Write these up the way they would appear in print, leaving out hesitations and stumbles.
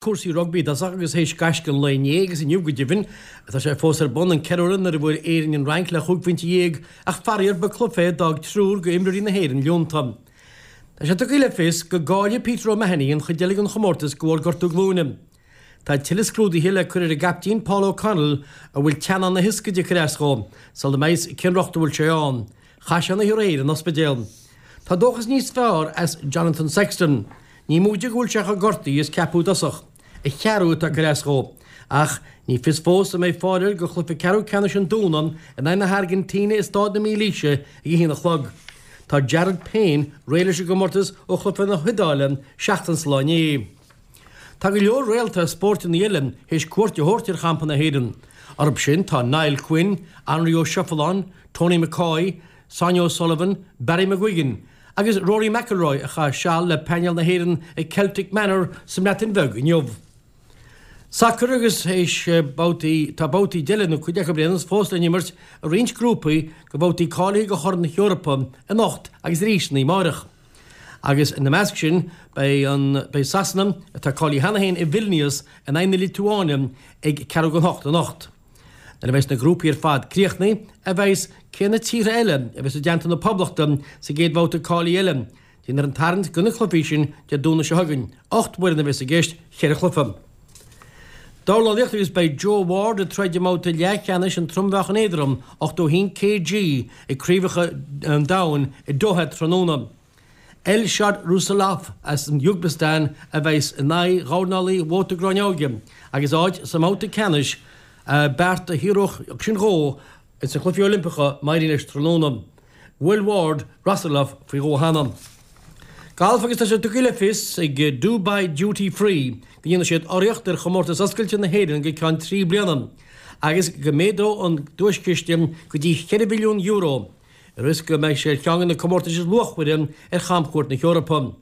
Cúrsaí rugbaí i dtosach agus théis gaisce an lae inné agus inniu go deimhin, tá sé fós ar bun, an ceiliúradh nuair a bhuail Éirinn an Fhrainc le chúig phointe dhéag ach faraor ba cluiche é a d'fhág triúr d'imreoirí na hÉireann leonta. Tá sé tugtha le fios go gcaillfidh Peter O'Mahony an chuid eile den chomórtas de bharr gortú glúine. Tá tuilleadh scrúduithe le cur ar an gcaiptín Paul O'Connell a bhfuil teannán na hioscaide ag cur as dhó sula mbeidh fhios cén riocht a bhfuil sé ann. Chaith sé an oíche aréir in ospidéal. Tá dóchas níos fearr as Jonathan Sexton. Ní móide go bhfuil sé chomh gortaithe is ceapadh i dtosach. A cheathrú atá ag cur as dhó. Ach ní fios fós an mbeidh fáil air do chluiche ceathrú ceannais an Domhnach in aghaidh na hAirgintíne i Stáid na Mílaoise ag a haon a chlog. Tá Jared Payne réidh leis an gcomórtas ó chluiche na hIodáile seachtain sa lá inné. Tá go leor réalta spóirteanna eile théis cuairt a thabhairt ar champa na hÉireann. Orthu sin tá Niall Quinn, Anraí Ó Seireadáin, Tony McCoy, Sonia O'Sullivan, Barry McGuigan agus Rory McIlroy a chaith seal le painéal na hÉireann ag Celtic Manor sa mBreatain Bheag inniu. Sacar agus théis babhtaí, tá babhtaí eile, nó cuid acu ar aon nós, fós le n-imirt i roinnt grúpaí de bhabhtaí cáilithe do Chorn na hEorpa anocht agus arís san oíche amárach. Agus ina measc sin beidh an, beidh Sasana, atá cáilithe cheana féin i Vilnius, in aghaidh na Liotuáine ag ceathrú don hocht anocht. Nuair a bheas na grúpaí ar fad críochnaithe a bheidh fhios cé na tíortha eile a bheas i dteannta na Poblachta sa gcéad bhabhta cáilithe eile. Déanfar an tarraingt do na cluichí sin Dé Domhnaigh seo chugainn. 8 bhfoireann a bheas i gceist, cheithre chluiche. Dornálaíocht agus beidh Joe Ward ag troid i mbabhta leathcheannais an trom-mheáchan éadrom, 81 kg, ag Craobhacha an Domhain i Doha tráthnóna. Elshod Rasulov as an Úisbéacastáin a bheas in aghaidh dhornálaí Mhóta Gráinneoige agus áit sa mbabhta ceannais, beart a shaothródh sin dhó ins na Cluichí Oilimpeacha má éiríonn leis tráthnóna. Bhuail Ward Rasulov faoi dhó cheana. Galf agus tá sé tugtha le fios ag Dubai Duty Free go ndéanfaidh siad urraíocht ar Chomórtas Oscailte na hÉireann go ceann 3 bliana agus go méadóidh an duaischiste go dtí €4 mhilliún. I rith is go mbeidh sé ar cheann de na comórtais is luachmhaire ar chamchuairt na hEorpa.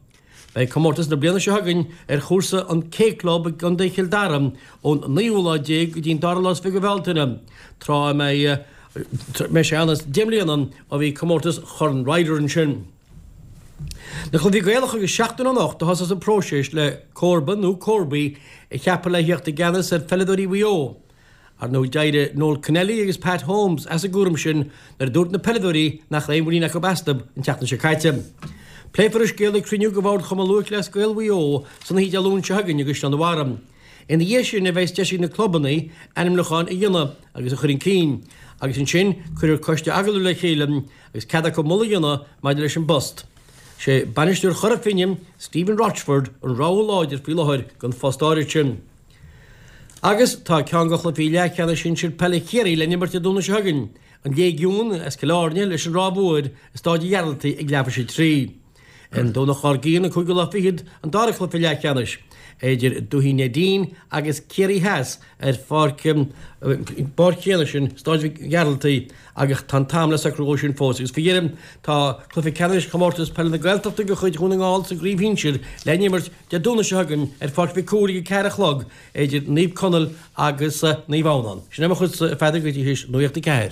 Beidh comórtas na bliana seo chugainn ar chúrsa an K Club i gContae Chill Dara ón naoú lá déag go dtí an dara lá is 20 de Bhealtaine, tráth a mbeidh sé ann as 10 mbliana ó bhí comórtas Chorn Ryder ansin. Na Cluichí Gaelacha agus seachtain ó anocht a thosós an próiseas le comharba nó comharbaí a cheapadh le theacht i gceannas ar pheileadóirí Mhaigh Eo. Ar ndóigh d'éirigh Noel Connelly agus Pat Holmes as an gcúram sin nuair a dúirt na peileadóirí nach raibh aon mhuinín acu astu an tseachtain seo caite. Pléifear an scéal ag cruinniú de Bhord Chumann Lúthchleas Gael Mhaigh Eo san oíche Dé Luain seo chugainn i gCaisleán an Bharraigh. Ina dhiaidh sin a bheas deis ag na clubanna ainmniúcháin a dhéanamh agus a chur chun cinn agus ansin cuirfear coiste agallaimh le chéile agus cead acu moladh a dhéanamh maidir leis an bpost. Sé bainisteoir Chora Finne, Stephen Rochford, an rogha láidir faoi láthair don phost áirid sin. Agus tá ceann de chluichí leathcheannais sinsir peile Chiarraí le n-imirt Dé Domhnaigh seo chugainn, an Léigiún as Cill Airne leis an Ráth Mhór i Stáid an Ghearaltaigh ag leathuair tar éis a 3. An Domhnach dár gcionn, an cúigiú lá fichead, an dara cluiche leathcheannais idir Dúiche Neidín agus Ciarraí Theas ar pháirc an bpáirc chéanna sin, Stáid Mhic Gearaltaigh, agus tá an t-am le socrú dhó sin fós. Agus faoi dheireadh, tá cluiche ceannais Chomórtas Peile na Gaeltachta de chuid Dhún na nGall sa gcraobh shinsir le n-imirt Dé Domhnaigh seo chugainn ar Pháirc Mhic Cumhaill ag a 4 a chlog idir Naomh Conaill agus Naomh Adhamhnáin. Sin é mo chuidse, a Pheadair, go dtí théis Nuacht a 4.